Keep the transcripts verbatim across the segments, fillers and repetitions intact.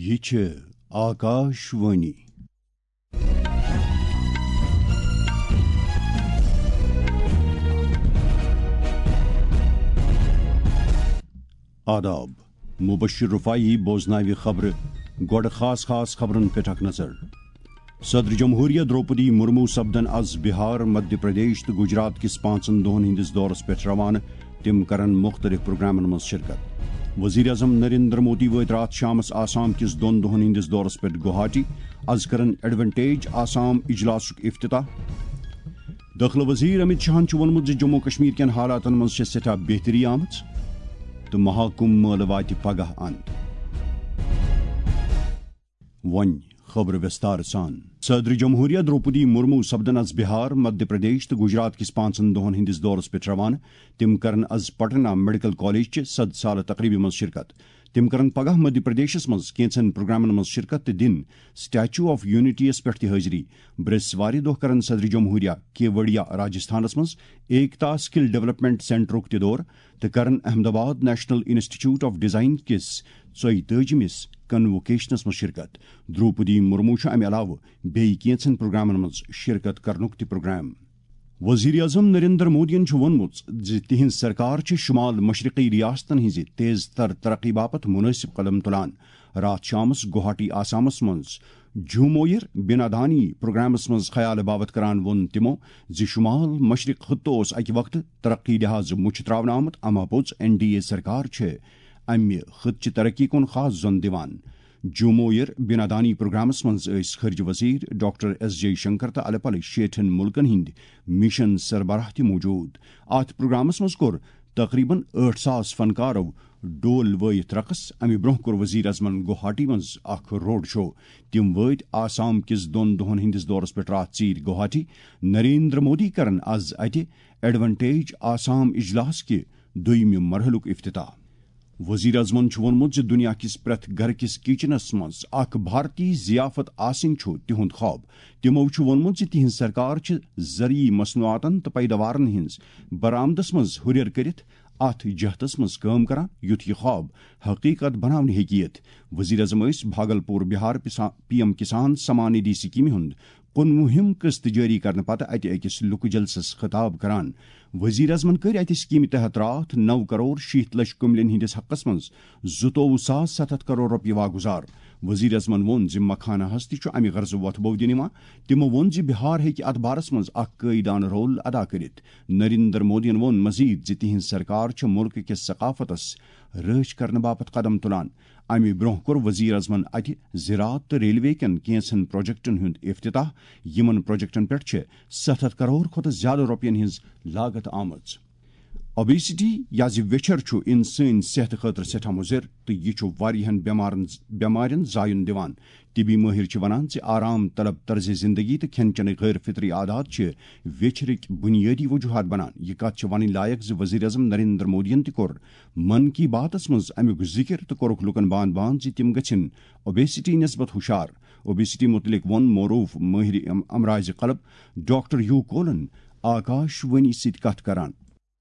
یہِ چھِ آکاش وانی۔ آداب۔ مبشر رفاعی بوزناوِ خبرٕ۔ گۄڈٕ خاص خاص خبرن پٮ۪ٹھ اکھ نظر۔ صدر جمہوریہ درٛوپدی مرمو سپدن از بہار، مدھیہ پردیش تہٕ گجرات کِس پانٛژن دۄہن ہٕنٛدِس دورس پٮ۪ٹھ روانہٕ۔ تِم کرن مُختٔلِف پروگرامن منٛز شرکت۔ وزیر اعظم نریندر مودی وٲتۍ راتھ شامس آسام کِس دۄن دۄہن ہٕنٛدِس دورس پٮ۪ٹھ گوہاٹی۔ از کرن ایڈونٹیج آسام اجلاسُک افتتاح۔ دٲخلہٕ وزیر امت شاہن چھُ ووٚنمُت زِ جموں و کشمیر کٮ۪ن حالاتن منٛز چھےٚ سٮ۪ٹھاہ بہتری آمٕژ تہٕ مہاکُمبھ مٲلہٕ واتہِ پگاہ اند۔ وۄنۍ خبرٕ وِستار سان۔ صدر جمہوریہ درٛوپدی مرمو سپدن از بہار، مدھیہ پردیش تہٕ گجرات کِس پانٛژن دۄہن ہٕنٛدِس دورس پٮ۪ٹھ روانہٕ۔ تِم کرن از پٹنہ میڈیکل کالج چہِ صد سالہٕ تقریبہِ منٛز شرکت۔ تِم کرن پگاہ مدھیہ پردیشس منٛز کینژن پروگرامن منٛز شرکت تہٕ دِن سٹیچو آف یونٹی یس پٮ۪ٹھ تہِ حٲضری۔ برٛیسوارِ دۄہ کرن صدر جمہوریہ کیوڑیا راجستھانس منٛز ایکتا سکل ڈیولپمنٹ سینٹرُک تہِ دورٕ تہٕ کرن احمد آباد نیشنل انسٹیٹیوٹ آف ڈیزائن کِس ژۄیہِ تٲجِمِس کنووکیشنس منٛز شرکت۔ درٛوپدی مرمو چھُ امہِ علاوٕ بیٚیہِ کینژن پروگرامن منٛز شرکت کرنُک تہِ پروگرام۔ وزیر اعظم نریندر مودیَن چھُ ووٚنمُت زِ تِہنٛز سرکار چھِ شمال مشرقی ریاستن ہٕنٛزِ تیز تر ترقی باپتھ مناسب قدم تُلان۔ راتھ شامس گوہاٹی آسامس منٛز جھومویر بنادانی پروگرامس منٛز خیال باوت کران ووٚن تِمو زِ شمال مشرق خطہٕ اوس اکہِ وقتہٕ ترقی لحاظ مُچھِ تراونہٕ آمُت، اما پوٚز این ڈی اے سرکار چھِ امہِ خطہٕ چہِ ترقی کُن خاص زۄن دِوان۔ جھومویر بنادانی پروگرامس منٛز ٲسۍ خارجہ وزیر ڈاکٹر ایس جے شنکر تہٕ الہٕ پلہٕ شیٹھن مُلکن ہٕنٛدۍ مشن سربراہ تہِ موجود۔ اتھ پروگرامس منٛز کوٚر تقریباً ٲٹھ ساس فنکارو ڈول وٲیِتھ رقص۔ امہِ برونٛہہ کوٚر وزیر اعظمن گوہاٹی منٛز اکھ روڈ شو۔ تِم وٲتۍ آسام کِس دۄن دۄہن ہٕنٛدِس دورس پٮ۪ٹھ راتھ ژیٖرۍ گوہاٹی۔ نریندر مودی کرن از اتہِ ایڈونٹیج آسام اجلاس کہِ دوٚیمہِ مرحلُک افتتاح۔ وزیر اعظمن چھُ ووٚنمُت زِ دُنیا کِس پرٛٮ۪تھ گرٕ کِس کچنس منٛز اکھ بھارتی ضیافت آسٕنۍ چھُ تِہُنٛد خواب۔ تِمو چھُ ووٚنمُت زِ تِہنٛز سرکار چھِ زرعی مصنوعاتن تہٕ پیداوارن ہٕنٛز برآمدس منٛز ہُرٮ۪ر کٔرِتھ اتھ جہتس منٛز کٲم کران، یُتھ یہِ خواب حقیقت بناونہٕ ہیٚکہِ یِتھ۔ وزیر اعظم ٲسۍ بھاگلپور بہار پسا-، پی ایم کسان سمان ندھی سکیمہِ ہُنٛد کُنوُہِم قسط جٲری کرنہٕ پتہٕ اتہِ أکِس لُکہٕ جلسس خطاب کران۔ وزیر اعظمن کٔرۍ اتہِ سکیمہِ تحت راتھ نو کرور شیٖتھ لچھ کُملٮ۪ن ہٕنٛدِس حقس منٛز زٕتووُہ ساس ستھ ہتھ کرور رۄپیہِ واگُزار۔ وزیر اعظمن ووٚن زِ مکھانہس تہِ چھُ امہِ غرضہٕ وۄتھٕ بوٚو دِنہٕ یِوان۔ تِمو ووٚن زِ بہار ہیٚکہِ اتھ بارس منٛز اکھ قٲیدانہٕ رول ادا کٔرِتھ۔ نریندر مودیَن ووٚن مزید زِ تِہنٛز سرکار چھےٚ مُلکہٕ کِس ثقافتس رٲچھ کرنہٕ باپتھ قدم تُلان۔ امہِ برونٛہہ کوٚر وزیر اعظمن اتہِ زراعت تہٕ ریلوے کٮ۪ن کینٛژن پروجیکٹن ہُنٛد افتتاح۔ یِمن پروجیکٹن پٮ۪ٹھ چھِ ستھ ہتھ کرور کھۄتہٕ زیادٕ رۄپین ہٕنٛز لاگت آمٕژ۔ اوبیسٹی یا زِ ویچھر چھُ انسٲنی صحتہٕ خٲطرٕ سٮ۪ٹھاہ مُضر تہٕ یہِ چھُ واریاہن بٮ۪مارن، بٮ۪مارٮ۪ن زایُن دِوان۔ طبی مٲہِر چھِ وَنان زِ آرام طلب طرزِ زِندگی تہٕ کھٮ۪ن چٮ۪نٕکۍ غٲر فطری عادات چھِ ویچھرٕکۍ بُنیٲدی وجوہات بنان۔ یہِ کَتھ چھِ وَنٕنۍ لایق زِ وزیر اعظم نریندر مودیَن تہِ کوٚر من کی باتَس منٛز اَمیُک ذِکِر تہٕ کوٚرُکھ لوٗکَن بان بان زِ تِم گژھن اوبیسٹی نسبت ہُشار۔ اوبیسٹی مُتعلِق ووٚن معروٗف مٲہِرِ ام-، امراضِ قلب ڈاکٹر یو کولن آکاش وانی سۭتۍ کَتھ کران۔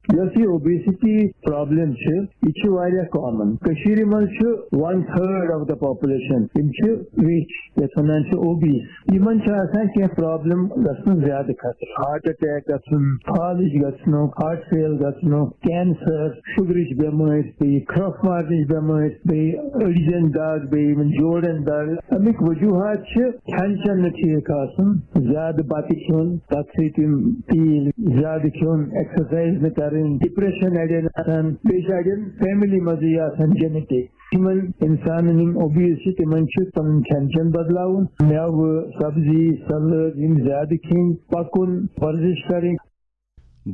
یۄس یہِ اوبیسٹی پرابلم چھِ، یہِ چھِ واریاہ کامن۔ کٔشیٖرِ منٛز چھُ one third of the population، یِم چھِ ویچھِ، یَتھ وَنان چھِ اوبیس۔ یِمن چھِ آسان کینٛہہ پرابلم گژھنُک زیادٕ خطرٕ، ہارٹ اٹیک گژھُن، فالج گژھنُک، ہارٹ فیل گژھنُک، کینسر، شُگرٕچ بٮ۪مٲرۍ، بیٚیہِ کھرٛۄپھ مارنٕچ بٮ۪مٲرۍ، بیٚیہِ أڈجن دگ، بیٚیہِ یِمن جوڑن دگ۔ اَمِکۍ وجوہات چھِ کھٮ۪ن چٮ۪ن نہٕ ٹھیٖک آسُن، زیادٕ بَتہٕ کھیوٚن، تَتھ سۭتۍ یِم تیٖل زیادٕ کھیوٚن، ایکسرسایز نہٕ کَرٕنۍ، ڈپریشن اَڑٮ۪ن آسان، بیٚیہِ چھِ اَڑٮ۪ن فیملی منٛزٕے آسان جینیٹک۔ یِمن اِنسانن یِم اوبیز چھِ، تِمن چھُ پَنُن کھٮ۪ن چٮ۪ن بدلاوُن، مٮ۪وٕ، سبزی، سلاد یِم زیادٕ کھیٚنۍ، پَکُن، ورزش کَرٕنۍ۔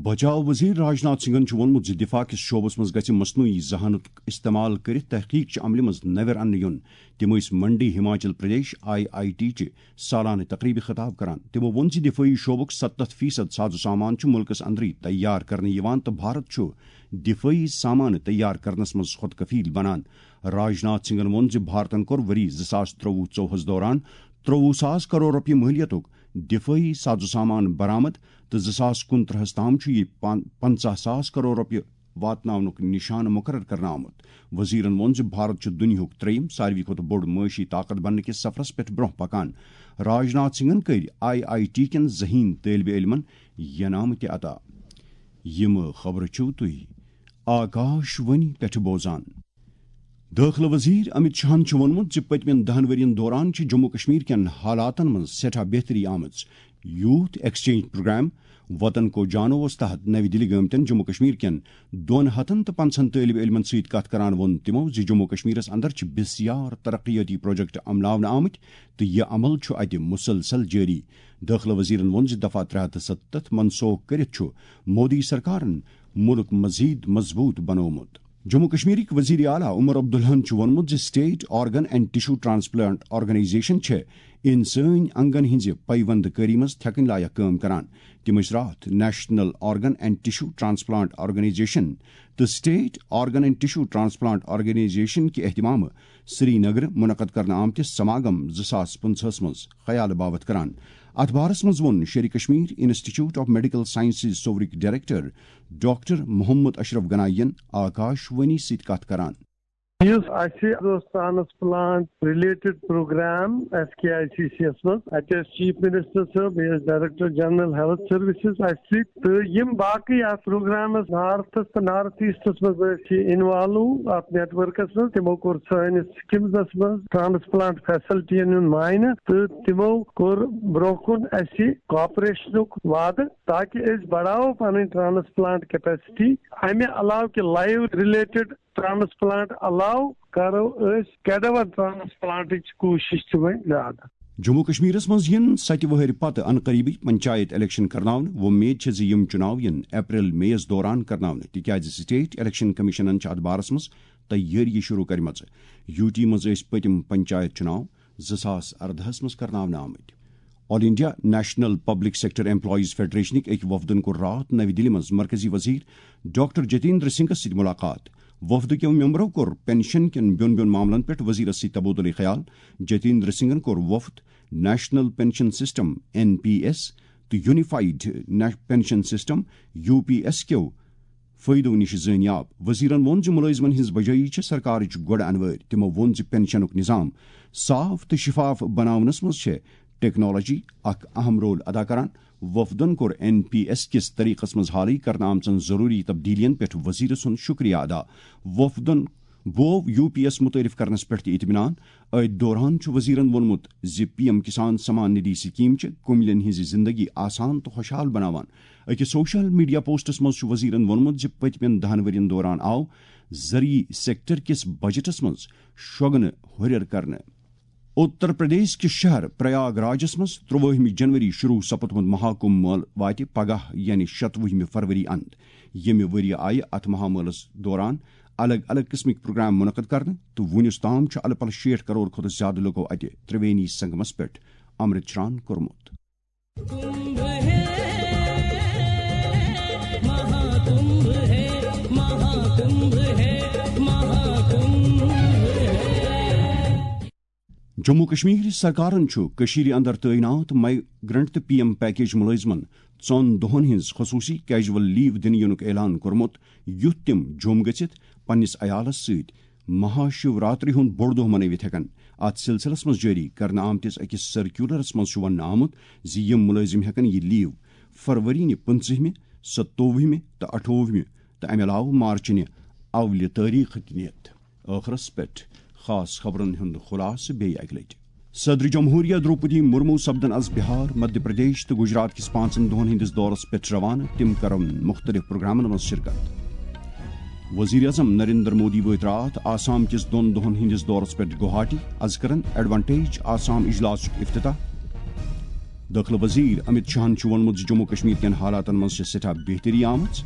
بچاو وزیر راجناتھ سنگھن چھُ ووٚنمُت زِ دفاع کِس شعبس منٛز گژھِ مصنوعی ذہانتُک استعمال کٔرِتھ تحقیق چہِ عملہِ منٛز نوٮ۪ر اننہٕ یُن۔ تِم ٲسۍ منڈی Himachal Pradesh I I T چہِ سالانہٕ تقریبہِ خطاب کران۔ تِمو ووٚن زِ دفٲعی شعبُک ستتھ فیصد ساز و سامان چھُ مُلکس اندرٕے تیار کرنہٕ یِوان تہٕ بھارت چھُ دفٲعی سامان تیار کرنس منٛز خود کفیل بنان۔ راجناتھ سنگھن ووٚن زِ بھارتن کوٚر ؤری زٕ ساس ترٛۆوُہ ژوٚوُہس دوران ترٛۆوُہ ساس کرور رۄپیہِ مٲلیتُک دفٲعی ساز و سامان برآمد تہٕ زٕ ساس کُنترٛہس تام چھُ یہِ پن-، پنژاہ ساس کرور رۄپیہِ واتناونُک نشانہٕ مقرر کرنہٕ آمُت۔ وزیرن ووٚن زِ بھارت چھُ دُنیاہُک ترٛیٚیِم ساروی کھۄتہٕ بوٚڑ معاشی طاقت بننہٕ کِس سفرس پٮ۪ٹھ برونٛہہ پکان۔ راجناتھ سنگھن کٔرۍ آئی آئی ٹی کٮ۪ن ذہین طٲلبہِ علمن ینامہٕ تہِ عطا۔ یِم خبرٕ چھِو تُہۍ آکاش وانی پٮ۪ٹھ بوزان۔ دٲخلہٕ وزیر امت شاہن چھُ ووٚنمُت زِ پٔتمٮ۪ن دَہَن ؤرین دوران چھِ جموں کشمیر کٮ۪ن حالاتن منٛز سٮ۪ٹھاہ بہتری آمٕژ۔ یوتھ ایکسچینج پروگرام وطن کو جانوَس تحت نَوِ دِلہِ گٲمتٮ۪ن جموں کشمیر کٮ۪ن دۄن ہتن تہٕ پنٛژاہن طٲلبہِ علمن سۭتۍ کتھ کران ووٚن تِمو زِ جموں کشمیرس اندر چھِ بسیار ترقیٲتی پروجیکٹ عملاونہٕ آمٕتۍ تہٕ یہِ عمل چھُ اتہِ مسلسل جٲری۔ دٲخلہٕ وزیرن ووٚن زِ دفعہ ترٛےٚ ہتھ تہٕ ستتھ منسوخ کٔرِتھ چھُ مودی سرکارن مُلک مزید مضبوط بنوومُت۔ جموں کشمیرٕکۍ وزیر اعلیٰ عمر عبداللہن چھُ ووٚنمُت زِ state organ and tissue transplant organisation چھےٚ انسٲنی انگن ہٕنٛزِ پیوند کٲری منٛز تھٮ۪کٕنۍ لایق کٲم کران۔ تِم ٲسۍ راتھ national organ and tissue transplant organisation تہٕ state organ and tissue transplant organisation کہِ اہتمامہٕ سری نگر منعقد کرنہٕ آمتِس سماگم زٕ ساس پٕنٛژٕہس منٛز خیالہٕ باوتھ کران۔ اتھ بارس منٛز ووٚن Sher Kashmir institute of medical sciences سورٕکۍ ڈائریکٹر ڈاکٹر محمد اشرف گنایی ین آکاش وانی سۭتۍ کتھ کران۔ یُس اَسہِ اوس transplant related programme S K I C C یس منٛز، اَتہِ ٲسۍ چیف منسٹر صٲب، بیٚیہِ ٲسۍ ڈائریکٹر جنرل ہیلتھ سروسز اَسہِ سۭتۍ، تہٕ یِم باقٕے اَتھ پروگرامس نارتھس تہٕ نارتھ ایسٹس منٛز ٲسۍ انوالو اَتھ نیٹ ورکس منٛز، تِمو کوٚر سٲنِس سکمزس منٛز ٹرانسپلانٹ فیسلٹین ہُنٛد معائنہٕ تہٕ تِمو کوٚر برونٛہہ کُن اَسہِ کوآپریشنُک وعدٕ، تاکہِ أسۍ بڑاوو پنٕنۍ ٹرانسپلانٹ کیپیسٹی۔ امہِ علاوٕ کہِ لائیو ریلیٹڈ ٹرانسپلانٹ علاوٕ کرو أسۍ کیڈاور ٹرانسپلانٹٕچ کوٗشش تہِ وۄنۍ زیادٕ۔ جموں کشمیرس منٛز یِن ستہِ وٕہٕرۍ پتہٕ عنقریبٕے پنچایت الیکشن کرناونہٕ۔ وۄمید چھےٚ زِ یِم چُناو یِن اپریل مئی یَس دوران کرناونہٕ، تِکیازِ اسٹیٹ الیکشن کمیشنن چھِ اتھ بارس منٛز تیٲری شروع کرِمژٕ۔ یوٗ ٹی منٛز ٲسۍ پٔتِم پنچایت چُناو زٕ ساس ارداہس منٛز کرناونہٕ آمٕتۍ۔ All India national public sector employees فیڈریشنٕکۍ أکۍ وفدن کوٚر راتھ نَوِ دِلہِ منٛز مرکزی وزیر ڈاکٹر جتیندر سنگھس سۭتۍ ملاقات۔ وفدٕ کیو ممبرو کوٚر پنشن کٮ۪ن بیوٚن بیوٚن معاملن پٮ۪ٹھ وزیرس سۭتۍ تبادلہٕ خیال۔ جتیندر سنگھن کوٚر وفد national pension system, N P S, تہٕ unified pension system, U P S, کیو فٲیدو نِش زٲنیاب۔ وزیرن ووٚن زِ مُلٲزمن ہٕنٛز بجٲیی چھِ سرکارٕچ گۄڈٕ انوٲرۍ۔ تِمو ووٚن زِ پنشنُک نظام صاف تہٕ شفاف بناونس منٛز چھےٚ ٹیکنالوجی اکھ اہم رول ادا کران۔ وفدن کوٚر این پی ایس کِس طریقس منٛز حالٕے کرنہٕ آمژن ضروری تبدیلیَن پٮ۪ٹھ وزیر سُنٛد شکریہ ادا۔ وفدن بوو یو پی ایس متعارف کرنس پٮ۪ٹھ تہِ اطمینان۔ أتھۍ دوران چھُ وزیرن ووٚنمُت زِ P M Kisan Samman Nidhi scheme چھِ کُملٮ۪ن ہٕنٛز زندگی آسان تہٕ خۄشحال بناوان۔ أکِس سوشل میڈیا پوسٹس منٛز چھُ وزیرن ووٚنمُت زِ پٔتمٮ۪ن دَہَن ؤرین دوران آو زرعی سیکٹر کِس بجٹس منٛز شۄگنہٕ ہُرٮ۪ر کرنہٕ۔ اتر پردیش کِس شہر پریاگ راجس منٛز ترٛوٲہمہِ جنوری شروع سپدمُت مہاکمبھ مٲلہٕ واتہِ پگاہ، یعنی شتوُہمہِ فروری اند۔ ییٚمہِ ؤرۍ یہِ آیہِ اتھ مہامٲلس دوران الگ الگ قٕسمٕکۍ پروگرام منعقد کرنہٕ تہٕ وُنیُس تام چھُ الہٕ پلہٕ شیٹھ کرور کھۄتہٕ زیادٕ لوٗکو اتہِ ترٛوینی سنگمس پٮ۪ٹھ امرت چران کوٚرمُت۔ جموں کشمیر سرکارن چھُ کٔشیٖرِ اندر تعینات مائیگرنٹ تہٕ پی ایم پیکیج مُلٲزمن ژۄن دۄہن ہٕنٛز خصوٗصی کیجول لیو دِنہٕ یِنُک اعلان کوٚرمُت، یُتھ تِم جوٚم گٔژھِتھ پننِس عیالس سۭتۍ مہا شیوراتری ہُنٛد بوٚڑ دۄہ منٲوِتھ ہٮ۪کن۔ اتھ سلسلس منٛز جٲری کرنہٕ آمتِس أکِس سرکیولرس منٛز چھُ وننہٕ آمُت زِ یِم مُلٲزِم ہٮ۪کن یہِ لیو فروری نہِ پٕنٛژٕہمہِ، ستووُہمہِ تہٕ اَٹھووُہمہِ تہٕ امہِ علاوٕ مارچہِ نہِ اولہِ تٲریخ تہِ نِتھ۔ ٲخرس پٮ۪ٹھ خاص خبرن ہُنٛد خلاصہٕ بیٚیہِ اکہِ لٹہِ۔ صدر جمہوریہ دروپدی مرمو سپدن از بہار، مدھیہ پردیش تہٕ گجرات کِس پانٛژن دۄہن ہٕنٛدِس دورس پٮ۪ٹھ روانہٕ۔ تِم کرن مُختٔلِف پروگرامن منٛز شرکت۔ وزیر اعظم نریندر مودی وٲتۍ راتھ آسام کِس دۄن دۄہن ہٕنٛدِس دورس پٮ۪ٹھ گوہاٹی۔ از کرن ایڈوانٹیج آسام اجلاسُک افتتاح۔ دٲخلہٕ وزیر امت شاہن چھُ ووٚنمُت زِ جموں کشمیر کٮ۪ن حالاتن منٛز چھےٚ سٮ۪ٹھاہ بہتری آمٕژ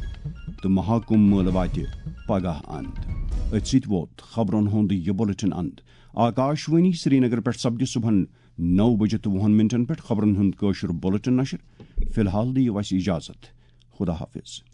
تہٕ مہاکمبھ مٲلہٕ واتہِ پگاہ اند۔ أتھۍ سۭتۍ ووت خبرن ہُنٛد یہِ بُلٹن اند۔ آکاش وانی سرینگر پٮ۪ٹھ سپدِ صبحن نَو بجہِ تہٕ وُہن منٹن پٮ۪ٹھ خبرن ہُنٛد کٲشُر بُلٹن نشر۔ فی الحال دِیِو اَسہِ اجازت۔ خدا حافظ۔